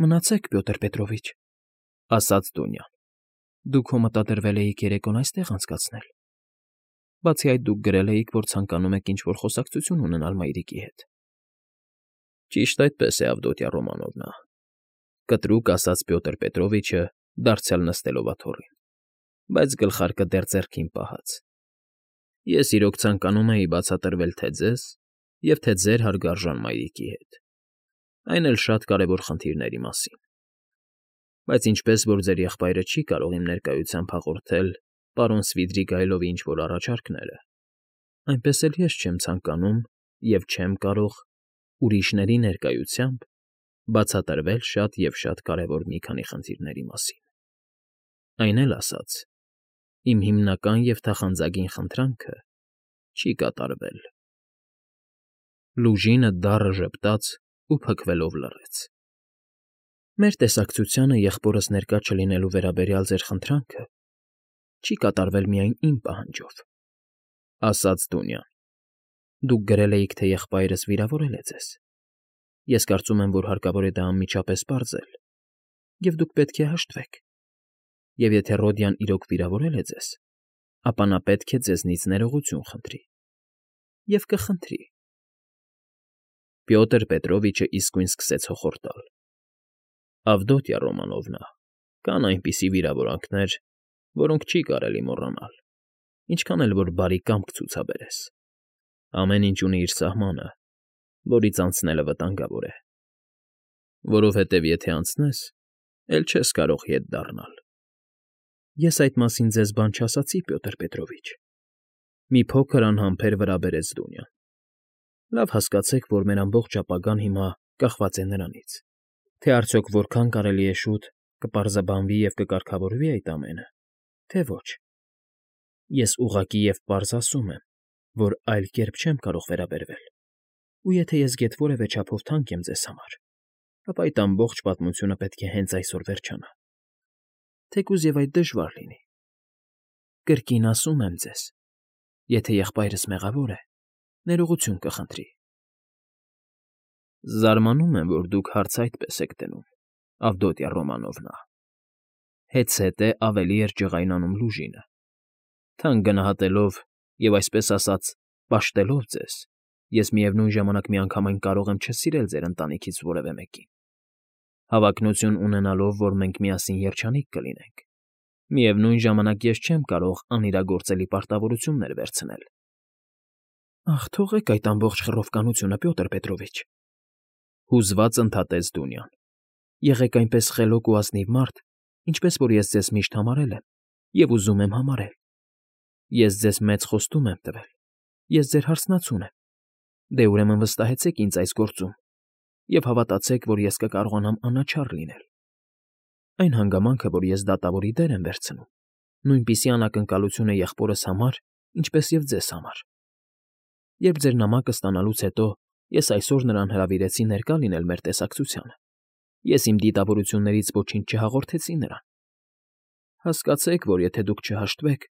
Մնացեք, Պյոտր Պետրովիչ, ֊ ասաց Դունյան։ Դուք հո մտադրվել էիք երեկոն այստեղ անցկացնել։ Բացի այդ, դուք գրել էիք, որ ցանկանում եք ինչ֊որ խոսակցություն ունենալ մայրիկի հետ։ ֊ Ճիշտ այդպես է, Ավդոտյա Ռոմանովնա,֊ կտրուկ ասաց Պյոտր Պետրովիչը, դարձյալ նստելով աթոռին, բայց գլխարկը դեռ ձեռքին պահած։ Ես իրոք ցանկանում էի բացատրվել թե ձեզ և թե ձեր հարգարժան մայրիկի հետ, այն էլ շատ կարևոր խնդիրների մասին, բայց ինչպես որ ձեր եղբայրը չի կարող իմ ներկայությամբ հաղորդել պարոն Սվիդրիգայլովի ինչ֊որ առաջարկները, այնպես էլ ես չեմ ցանկանում և չեմ կարող ուրիշների ներկայությամբ բացատրվել շատ և շատ կարևոր մի քանի խնդիրների մասին։ Այն էլ ասած, իմ հիմնական և թախանձագին խնդրանքը չի կատարվել։ Լուժինը դառը ժպտաց ու փքվելով լռեց։ Մեր տեսակցությանը եղբորս ներկա չլինելու վերաբերյալ ձեր խնդրանքը չի կատարվել միայն իմ պահանջով,֊ ասաց Դունյան։ Դուք գրել էիք, թե եղբայրս վիրավորել է ձեզ։ Ես կարծում եմ, որ հարկավոր է դա անմիջապես պարզել, և դուք պետք է հաշտվեք։ Եվ եթե Ռոդյան իրոք վիրավորել է ձեզ, ապա նա պետք է ձեզնից ներողություն խնդրի։ Եվ կխնդրի։ Պյոտր Պետրովիչը իսկույն սկսեց հոխորտալ. Ավդոտյա Ռոմանովնա, կան այնպիսի վիրավորանքներ, որոնք չի կարելի մոռանալ, ինչքան էլ որ բարի կամք ցուցաբերես։ Ամեն ինչ ունի իր սահմանը, որից անցնելը վտանգավոր է, որովհետև եթե անցնես, էլ չես կարող ետ դառնալ։ Ես այդ մասին ձեզ բան չասացի, Պյոտր Պետրովիչ,֊ մի փոքր անհամբեր վրա բերեց Դունյան։ Լավ հասկացեք, որ մեր ամբողջ ապագան հիմա կախված է նրանից, թե արդյոք որքան կարելի է շուտ կպարզաբանվի և կկարգավորվի այդ ամենը, թե ոչ։ Ես ուղղակի և պարզ ասում եմ, որ այլ կերպ չեմ կարող վերաբերվել, ու եթե ես գեթ որևէ չափով թանկ եմ ձեզ համար, ապա այդ ամբողջ պատմությունը պետք է հենց այսօր վերջանա, թեկուզ և այդ դժվար լինի։ Կրկին ասում եմ ձեզ, եթե եղբայրս մեղավոր է, ներողություն կխնդրի։ Զարմանում եմ, որ դուք հարցը այդպես եք դնում, Ավդոտյա Ռոմանովնա,֊ հետզհետե ավելի էր ջղայնանում Լուժինը։ Թանկ գնահատելով և, այսպես ասած, պաշտելով ձեզ, ես միևնույն ժամանակ միանգամայն կարող եմ չսիրել ձեր ընտանիքից որևէ մեկին։ Հավակնություն ունենալով, որ մենք միասին երջանիկ կլինենք, միևնույն ժամանակ ես չեմ կարող անիրագործելի պարտավորություններ վերցնել։ Ախ, թողեք այդ ամբողջ խռովկանությունը, Պյոտր Պետրովիչ,֊ հուզված ընդհատեց Դունյան։ Եղեք այնպես խելոք ու ազնիվ մարդ, ինչպես որ ես ձեզ միշտ համարել եմ և ուզում եմ համարել։ Ես ձեզ մեծ խոստում եմ տվել, ես ձեր հարսնացուն եմ, դե ուրեմն վստահեցեք ինձ այս գործում և հավատացեք, որ ես կկարողանամ անաչառ լինել։ Այն հանգամանքը, որ ես դատավորի դեր եմ վերցնում, նույնպիսի անակնկալություն է եղբորս համար, ինչպես և ձեզ համար։ Երբ ձեր նամակը ստանալուց հետո ես այսօր նրան հրավիրեցի ներկա լինել մեր տեսակցությանը, ես իմ դիտավորություններից ոչինչ չհաղորդեցի նրան։ Հասկացեք, որ եթե դուք չհաշտվեք,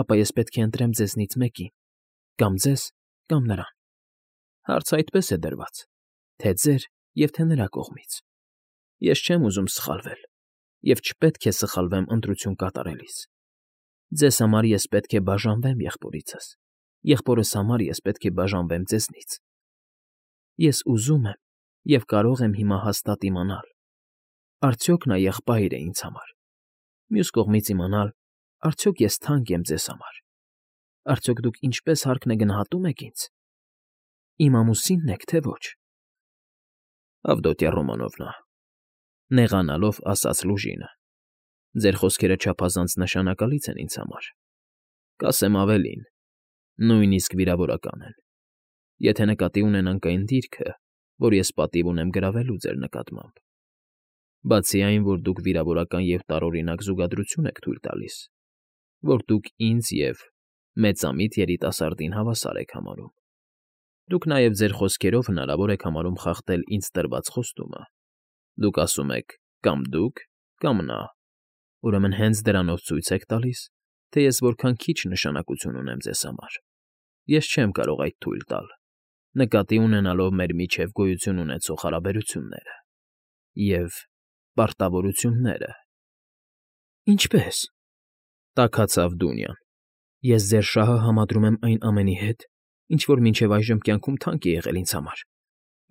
ապա ես պետք է ընտրեմ ձեզնից մեկին, կամ ձեզ, կամ նրան։ Հարցը այդպես է դրված, թե ձեր և թե նրա կողմից։ Ես չեմ ուզում սխալվել և չպետք է սխալվեմ ընտրություն կատարելիս։ Ձեզ համար ես պետք է բաժանվեմ եղբորիցս, եղբորս համար ես պետք է բաժանվեմ ձեզնից։ Ես ուզում եմ և կարող եմ հիմա հաստատ իմանալ. արդյոք նա եղբայր է ինձ համար, մյուս կողմից իմանալ, արդյոք ես թանկ եմ ձեզ համար, արդյոք դուք ինչպես հարկն է գնահատում եք ինձ, իմ ամուսինն եք, թե ոչ։ Ավդոտյա Ռոմանովնա,֊ նեղանալով ասաց Լուժինը,֊ ձեր խոսքերը չափազանց նշանակալից են ինձ համար, կասեմ ավելին, նույնիսկ վիրավորական են, եթե նկատի ունենանք այն դիրքը, որ ես պատիվ ունեմ գրավելու ձեր նկատմամբ։ Բացի այն, որ դուք վիրավորական և տարօրինակ զուգադրություն եք թույլ տալիս, որ դուք ինձ և մեծամիտ երիտասարդին հավասար եք համարում, դուք նաև ձեր խոսքերով հնարավոր եք համարում խախտել ինձ տրված խոստումը։ Դուք ասում եք կամ դուք, կամ նա, ուրեմն հենց դրանով ցույց եք տալիս, թե ես որքան քիչ նշանակություն ունեմ ձեզ համար։ Ես չեմ կարող այդ թույլ տալ, նկատի ունենալով մեր միջև գոյություն ունեցող հարաբերությունները։ Եվ պարտավորությունները։ Ինչպե՞ս,֊ տաքացավ Դունյան։ Ես ձեր շահը համադրում եմ այն ամենի հետ, ինչ որ մինչև այժմ կյանքում թանկ է եղել ինձ համար,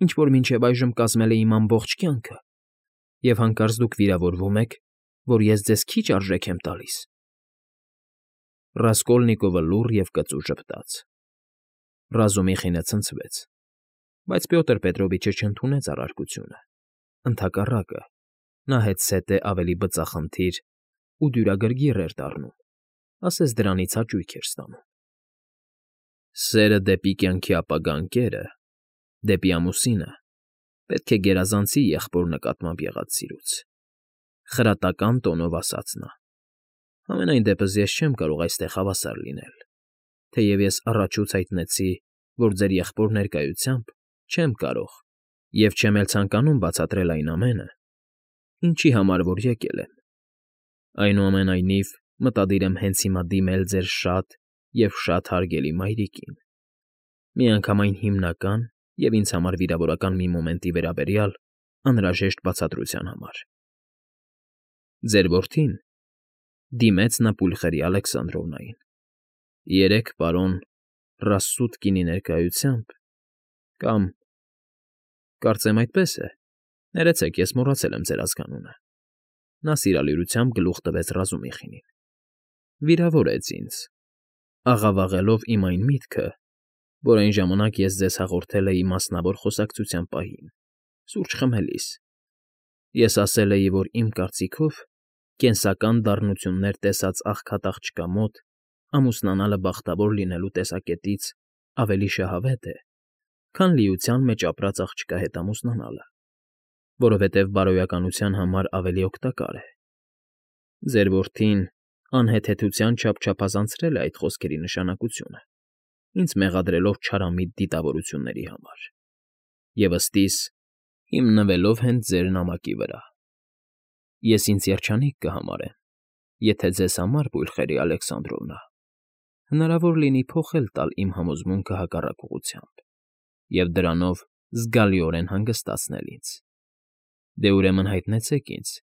ինչ որ մինչև այժմ կազմել է իմ ամբողջ կյանքը, և հանկարծ դուք վիրավորվում եք, որ ես ձեզ քիչ արժեք եմ տալիս։ Ռասկոլնիկովը լուռ և կծու ժպտաց։ Ռազումիխինը ցնցվեց, բայց Պյոտր Պետրովիչը չընդունեց առարկությունը։ Ընդհակառակը, նա հետզհետե ավելի բծախնդիր ու դյուրագրգիռ էր դառնում, ասես դրանից հաճույք էր ստանում։ Սերը դեպի կյանքի ապագա ընկերը, դեպի ամուսինը, պետք է գերազանցի եղբոր նկատմամբ եղած սիրուց,֊ խրատական տոնով ասաց նա։ Համենայն դեպս ես չեմ կարող այստեղ հավասար լինել, թեև ես առաջուց հայտնեցի, որ ձեր եղբոր ներկայությամբ չեմ կարող և չեմ էլ ցանկանում բացատրել այն ամենը, ինչի համար որ եկել եմ։ Այնուամենայնիվ, մտադիր եմ հենց հիմա դիմել ձեր շատ և շատ հարգելի մայրիկին, միանգամայն հիմնական և ինձ համար վիրավորական մի մոմենտի վերաբերյալ անհրաժեշտ բացատրության համար։ Ձեր որդին,֊ դիմեց նա Պուլխերի Ալեքսանդրովնային,֊ երեկ պարոն Ռասսուտկինի ներկայությամբ, կամ, կարծեմ այդպես է, ներեցեք, ես մոռացել եմ ձեր ազգանունը,֊ նա սիրալիրությամբ գլուխ տվեց Ռազումիխինին,֊ վիրավորեց ինձ, աղավաղելով իմ այն միտքը, որ այն ժամանակ ես ձեզ հաղորդել էի մասնավոր խոսակցության պահին, սուրճ խմելիս։ Ես ասել էի, որ իմ կարծիքով կենսական դառնություններ տեսած աղքատ աղջկա մոտ ամուսնանալը բախտավոր լինելու տեսակետից ավելի շահավետ է, քան լիության մեջ ապրած աղջկա հետ ամուսնանալը, որովհետև բարոյականության համար ավելի օգտակար է։ Ձեր որդին անհեթեթության չափ չափազանցրել է այդ խոսքերի նշանակությունը, ինձ մեղադրելով չարամիտ դիտավորությունների համար և, ըստիս, հիմնվելով հենց ձեր նամակի վրա։ Ես ինձ երջանիկ կհամարեմ, եթե ձեզ համար, Պուլխերի Ալեքսանդրովնա, հնարավոր լինի փոխել տալ իմ համոզմունքը հակառակ ուղղությամբ և դրանով զգալիորեն հանգստացնել ինձ։ Դե ուրեմն հայտնեցեք ինձ,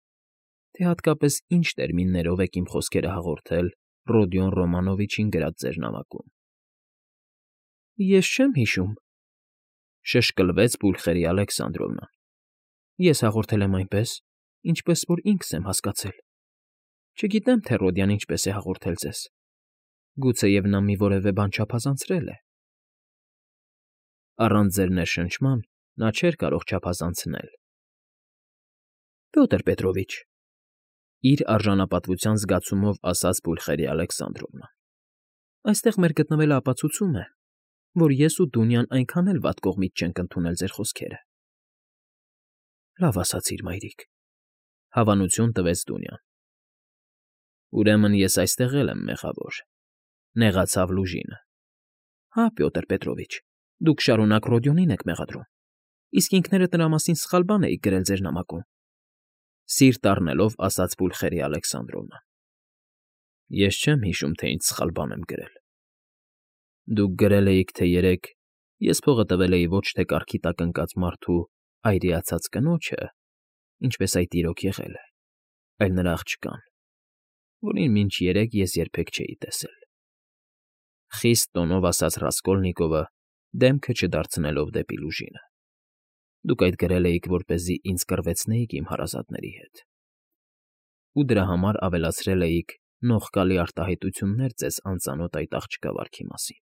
թե հատկապես ինչ տերմիններով եք իմ խոսքերը հաղորդել Ռոդիոն Ռոմանովիչին գրած ձեր նամակում։ Ես չեմ հիշում,֊ շշկլվեց Պուլխերի Ալեքսանդրովնան։ Ես հաղորդել եմ այնպես, ինչպես որ ինքս եմ հասկացել։ Չգիտեմ, թե Ռոդիան ինչպես է հաղորդել ձեզ։ Գուցեև նա մի որևէ բան չափազանցրել է։ Առանց ձեր ներշնչման նա չէր կարող չափազանցնել։ Պյոտր Պետրովիչ,֊ իր արժանապատվության զգացումով ասաց Պուլխերի Ալեքսանդրովնան,֊ այստեղ մեր գտնվելը ապացուցում է, որ ես ու Դունյան այնքան էլ վատ կողմից չենք ընդունել ձեր խոսքերը։ Լավ ասացիր, մայրիկ,֊ հավանություն տվեց Դունյան։ Ուրեմն ես այստեղ էլ եմ մեղավոր,֊ նեղացավ Լուժինը։ Հա, Պյոտր Պետրովիչ, դուք շարունակ Ռոդիոնին եք մեղադրում, իսկ ինքներդ նրա մասին սխալ բան էիք գրել ձեր նամակում,֊ սիրտ առնելով ասաց Պուլխերի Ալեքսանդրովնան։ Ես չեմ հիշում, թե ինչ սխալ բան եմ գրել։ Դուք գրել էիք, թե երեկ ես փողը տվել էի ոչ թե կառքի տակ ընկած մարդու այրիացած կնոջը, ինչպես այդ իրոք եղել է, այլ նրա աղջկան, որին մինչ երեկ ես երբեք չէի տեսել,֊ խիստ տոնով ասաց Ռասկոլնիկովը, դեմքը չդարձնելով դեպի Լուժինը։ Դուք այդ գրել էիք, որպեսզի ինձ կռվեցնեիք իմ հարազատների հետ, ու դրա համար ավելացրել էիք նողկալի արտահայտություններ ձեզ անծանոթ այդ աղջկա վարքի մասին։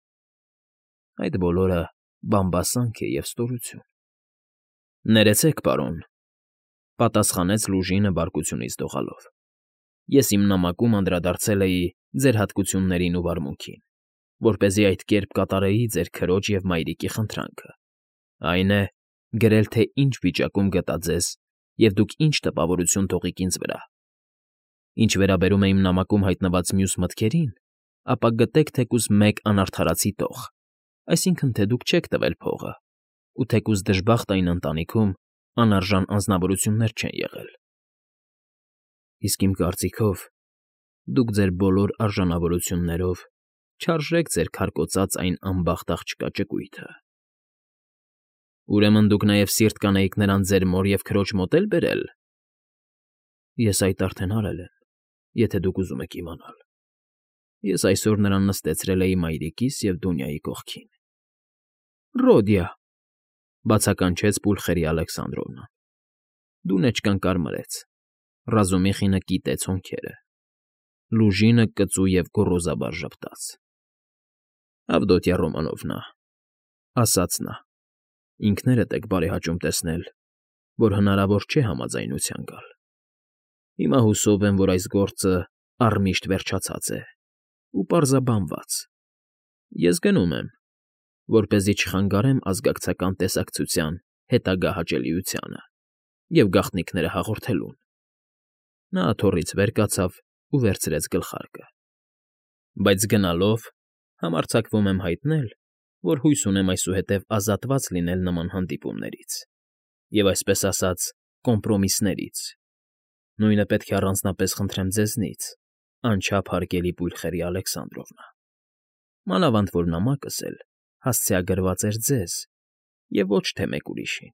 Այդ բոլորը բամբասանք է և ստորություն։ Ներեցեք, պարոն,֊ պատասխանեց Լուժինը բարկությունից դողալով։ Ես իմ նամակում անդրադարձել էի ձեր հատկություններին ու վարմունքին, որպեսզի այդ կերպ կատարեի ձեր քրոջ և մայրիկի խնդրանքը, այն է, գրել, թե ինչ վիճակում գտա ձեզ և դուք ինչ տպավորություն թողիք ինձ վրա։ Ինչ վերաբերում է իմ նամակում հայտնված մյուս մտքերին, ապա գտեք թեկուզ մեկ անարդարացի տող, այսինքն՝ թե դուք չեք տվել փողը, ու թեկուզ դժբախտ այն ընտանիքում անարժան անձնավորություններ չեն եղել։ Իսկ իմ կարծիքով, դուք ձեր բոլոր արժանավորություններով չարժեք ձեր քարկոծած այն անբախտ աղջկա ճկույթը։ Ուրեմն դուք նաև սիրտ կանեիք նրան ձեր մոր և քրոջ մոտ էլ բերել։ Ես այդ արդեն արել եմ, եթե դուք ուզում եք իմանալ։ Ես այսօր նրան նստեցրել էի մայրիկիս և Դունյայի կողքին։ Ռոդիա,֊ բացականչեց Պուլխերի Ալեքսանդրովնան։ Դունեչկան կարմրեց, Ռազումիխինը կիտեց հոնքերը, Լուժինը կծու և գոռոզաբար ժպտաց։ Ավդոտյա Ռոմանովնա,֊ ասաց նա,֊ ինքներդ եք բարեհաճում տեսնել, որ հնարավոր չէ համաձայնության գալ։ Հիմա հուսով եմ, որ այս գործը առմիշտ վերջացած է ու պարզաբանված։ Ես գնում եմ, որպեսզի չխանգարեմ ազգակցական տեսակցության հետագա հաճելիությանը և գաղտնիքները հաղորդելուն։ Նա աթոռից վեր կացավ ու վերցրեց գլխարկը։ Բայց գնալով համարձակվում եմ հայտնել, որ հույս ունեմ այսուհետև ազատված լինել նման հանդիպումներից և, այսպես ասած, կոմպրոմիսներից։ Նույնը պետք է առանձնապես խնդրեմ ձեզնից, անչափ հարգելի Պուլխերի Ալեքսանդրովնա, մանավանդ որ նամակս էլ հասցեագրված էր ձեզ և ոչ թե մեկ ուրիշին։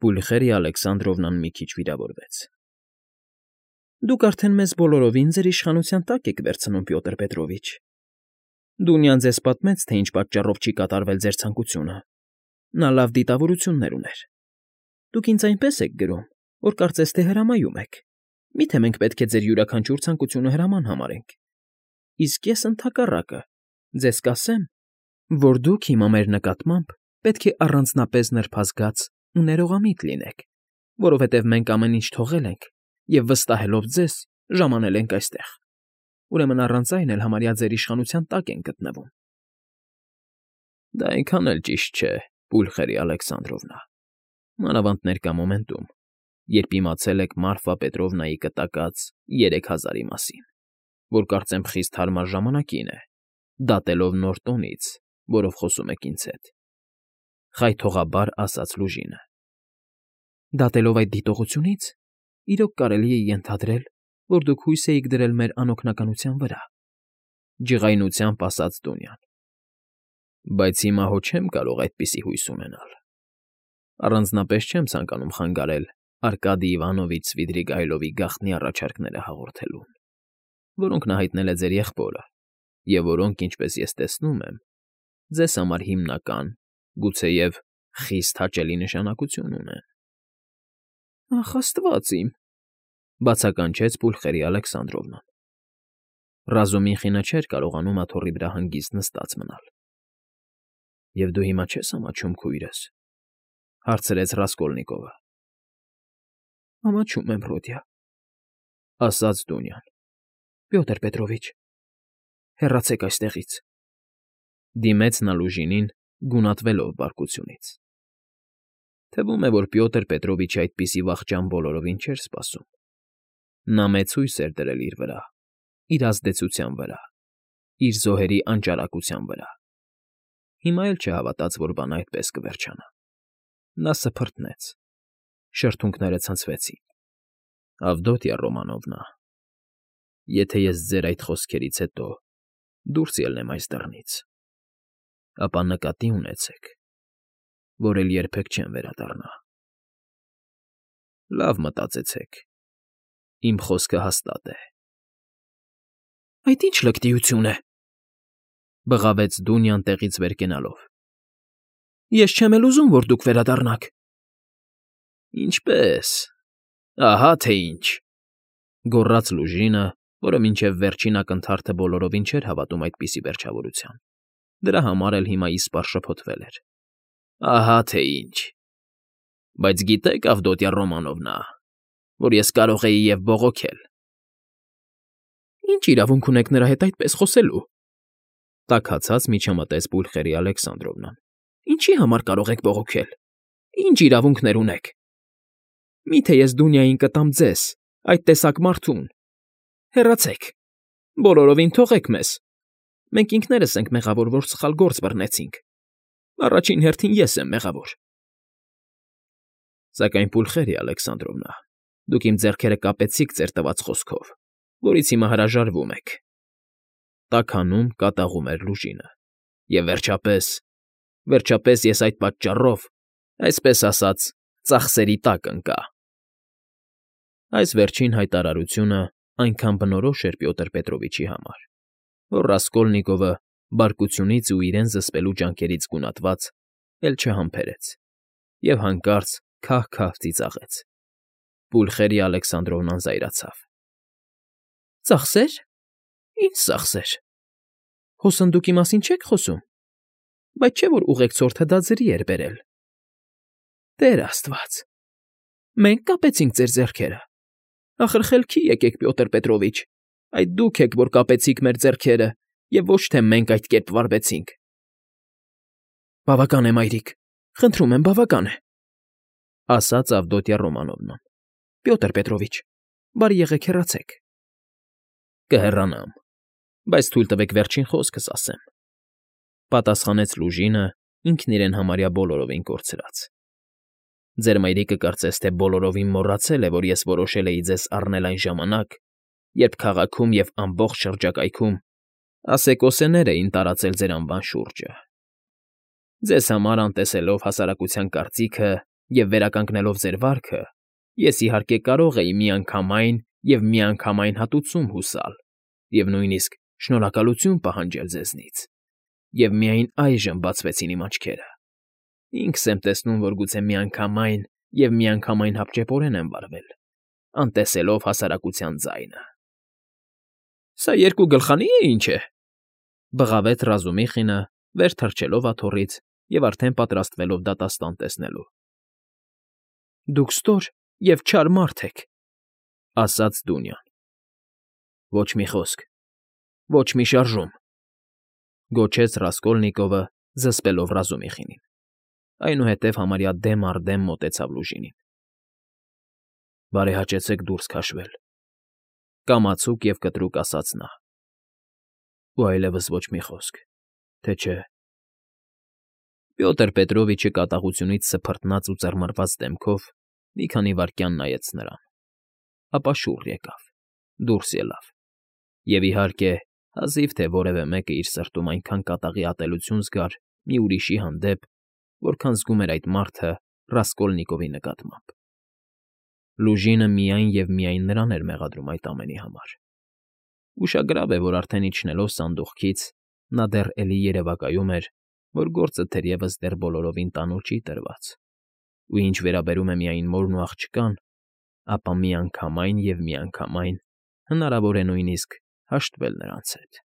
Պուլխերի Ալեքսանդրովնան մի քիչ վիրավորվեց։ Դուք արդեն մեզ բոլորովին ձեր իշխանության տակ եք վերցնում, Պյոտր Պետրովիչ։ Դունյան ձեզ պատմեց, թե ինչ պատճառով չի կատարվել ձեր ցանկությունը։ Նա լավ դիտավորություններ ուներ։ Դուք ինձ այնպես եք գրում, որ կարծես թե հրամայում եք։ Միթե մենք պետք է ձեր յուրաքանչյուր ցանկությունը հրաման համարենք։ Իսկ ես ընդհակառակը ձեզ կասեմ, որ դուք հիմա մեր նկատմամբ պետք է առանձնապես նրբազգաց ու ներողամիտ լինեք, որովհետև մենք ամեն ինչ թողել ենք և վստահելով ձեզ ժամանել ենք այստեղ։ Ուրեմն առանց այն էլ համարյա ձեր իշխանության տակ ենք գտնվում։ Դա այնքան էլ ճիշտ չէ, Պուլխերի Ալեքսանդրովնա, մանավանդ ներկա մոմենտում, երբ իմացել եք Մարֆա Պետրովնայի կտակած 3000-ի մասին, որ կարծեմ խիստ հարմար ժամանակին է, դատելով նոր տոնից, որով խոսում եք ինձ հետ,֊ խայթողաբար ասաց Լուժինը։ Դատելով այդ դիտողությունից, իրոք կարելի է ենթադրել, որ դուք հույս էիք դրել մեր անօգնականության վրա,֊ ջղայնությամբ ասաց Դունյան։ Բայց հիմա հո չեմ կարող այդպիսի հույս ունենալ։ Առանձնապես չեմ ցանկանում խանգարել Արկադի Իվանովիչ Սվիդրիգայլովի գաղտնի առաջարկները հաղորդելուն, որոնք նա հայտնել է ձեր եղբորը, և որոնք, ինչպես ես տեսնում եմ, ձեզ համար հիմնական, գուցեև խիստ հաճելի նշանակություն ունեն։ Ախ, աստված իմ,֊ բացականչեց Պուլխերի Ալեքսանդրովնան։ Ռազումիխինը չէր կարողանում աթոռի վրա հանգիստ նստած մնալ։ Եվ դու հիմա չես ամաչում քույրս,֊ հարցրեց Ռասկոլնիկովը։ Ամաչում եմ, Ռոդիա,֊ ասաց Դունյան։ Պյոտր Պետրովիչ, հեռացեք այստեղից,֊ դիմեց նա Լուժինին, գունատվելով բարկությունից։ Թվում է, որ Պյոտր Պետրովիչի այդպիսի վախճան բոլորովին չէր սպասում։ Նա մեծ հույս էր դրել իր վրա, իր ազդեցության վրա, իր զոհերի անճարակության վրա։ Հիմա էլ չհավատաց, որ բանը այդպես կվերջանա։ Նա սփռտնեց, շրթունքները ցնցվեցին։ Ավդոտյա Ռոմանովնա, եթե ես ձեր այդ խոսքերից հետո դուրս ելնեմ այս դռնից, ապա նկատի ունեցեք, որ էլ երբեք չեմ վերադառնա։ Լավ մտածեցեք, իմ խոսքը հաստատ է։ Այդ ի՞նչ լկտիություն է,֊ բղավեց Դունյան տեղից վեր կենալով։ Ես չեմ էլ ուզում, որ դուք վերադառնաք։ Ինչպե՞ս, ահա թե ինչ,֊ գոռաց Լուժինը, որը մինչև վերջին ակնթարթը բոլորովին չէր հավատում այդպիսի վերջավորության։ Դրա համար էլ հիմա իսպառ շփոթվել էր։ Ահա թե ինչ։ Բայց գիտեք, Ավդոտյա Ռոմանովնա, որ ես կարող էի և բողոքել։ Ինչ իրավունք ունեք նրա հետ այդպես խոսելու,֊ տաքացած միջամտեց Պուլխերի Ալեքսանդրովնան։ Ինչի համար կարող եք բողոքել։ Ինչ իրավունքներ ունեք։ Միթե ես Դունյային կտամ ձեզ, այդ տեսակ մարդուն։ Հեռացեք, բոլորովին թողեք մեզ։ Մենք ինքներս ենք մեղավոր, որ սխալ գործ բռնեցինք։ Առաջին հերթին ես եմ մեղավոր։ Սակայն, Պուլխերի Ալեքսանդրովնա, դուք իմ ձեռքերը կապեցիք ձեր տված խոսքով, որից հիմա հրաժարվում եք,֊ տաքանում կատաղում էր Լուժինը։ Եվ վերջապես ես այդ պատճառով, այսպես ասած, ծախսերի տակ ընկա։ Այս վերջին հայտարարությունը այնքան բնորոշ էր Պյոտր Պետրովիչի համար, որ Ռասկոլնիկովը բարկությունից ու իրեն զսպելու ջանքերից գունատված էլ չհամբերեց և հանկարծ քահ֊քահ ծիծաղեց։ Պուլխերիա Ալեքսանդրովնան զայրացավ։ ֊ Ծախսե՞ր։ Ի՞նչ ծախսեր։ Հոսնդուկի մասին չեք խոսում, բայց չէ՞ որ ուղեկցորդը դա ձրի էր բերել։ Տեր աստված, մենք կապեցինք ձեր ձեռքերը։ Ախր խելքի եկեք, Պյոտր Պետրովիչ, այդ դուք եք, որ կապեցիք մեր ձեռքերը, և ոչ թե մենք այդ կերպ վարվեցինք։ Բավական է, մայրիկ, խնդրում եմ, բավական է, ասաց Ավդոտյա Ռոմանովնան։ Պյոտր Պետրովիչ, բարի եղեք հեռացեք։ Կհեռանամ, բայց թույլ տվեք վերջին խոսքս ասեմ, պատասխանեց Լուժինը, ինքն իրեն համարյա բոլորովին կորցրած։ Ձեր մայրիկը կարծես թե բոլորովին մոռացել է, որ ես որոշել էի ձեզ առնել այն ժամանակ, երբ քաղաքում և ամբողջ շրջակայքում ասեկոսեներ էին տարածել ձեր անվան շուրջը։ Ձեզ համար անտեսելով հասարակության կարծիքը և վերականգնելով ձեր վարքը, ես իհարկե կարող էի միանգամայն և միանգամայն հատուցում հուսալ և նույնիսկ շնորհակալություն պահանջել ձեզնից, և միայն այժմ բացվեցին իմ աչքերը։ Ինքս եմ տեսնում, որ գուցե միանգամայն և միանգամայն հապճեպորեն եմ վարվել, անտեսելով հասարակության ձայնը։ ֊ Սա երկու գլխանի՞ է, ինչ է,֊ բղավեց Ռազումիխինը, վեր թռչելով աթոռից և արդեն պատրաստվելով դատաստան տեսնելու։ ֊ Դուք ստոր և չար մարդ եք,֊ ասաց Դունյան։ ֊ Ոչ մի խոսք, ոչ մի շարժում,֊ գոչեց Ռասկոլնիկովը, զսպելով Ռազումիխինին, այնուհետև համարյա դեմ առ դեմ մոտեցավ Լուժինին։ ֊ Բարեհաճեցեք դուրս քաշվել,֊ կամացուկ և կտրուկ ասաց նա։ ֊ Ու այլևս ոչ մի խոսք, թե չէ… Պյոտր Պետրովիչը կատաղությունից սփռտնած ու ծռմռված դեմքով մի քանի վայրկյան նայեց նրան, ապա շուռ եկավ, դուրս ելավ և, իհարկե, հազիվ թե որևէ մեկը իր սրտում այնքան կատաղի ատելություն զգար մի ուրիշի հանդեպ, որքան զգում էր այդ մարդը Ռասկոլնիկովի նկատմամբ։ Լուժինը միայն և միայն նրան էր մեղադրում այդ ամենի համար։ Ուշագրավ է, որ արդեն իջնելով սանդուղքից՝ նա դեռ էլի երևակայում էր, որ գործը թերևս դեռ բոլորովին տանուլ չի տրված, ու ինչ վերաբերում է միայն մորն ու աղջկան, ապա միանգամայն և միանգամայն հնարավոր է նույնիսկ հաշտվել նրանց հետ։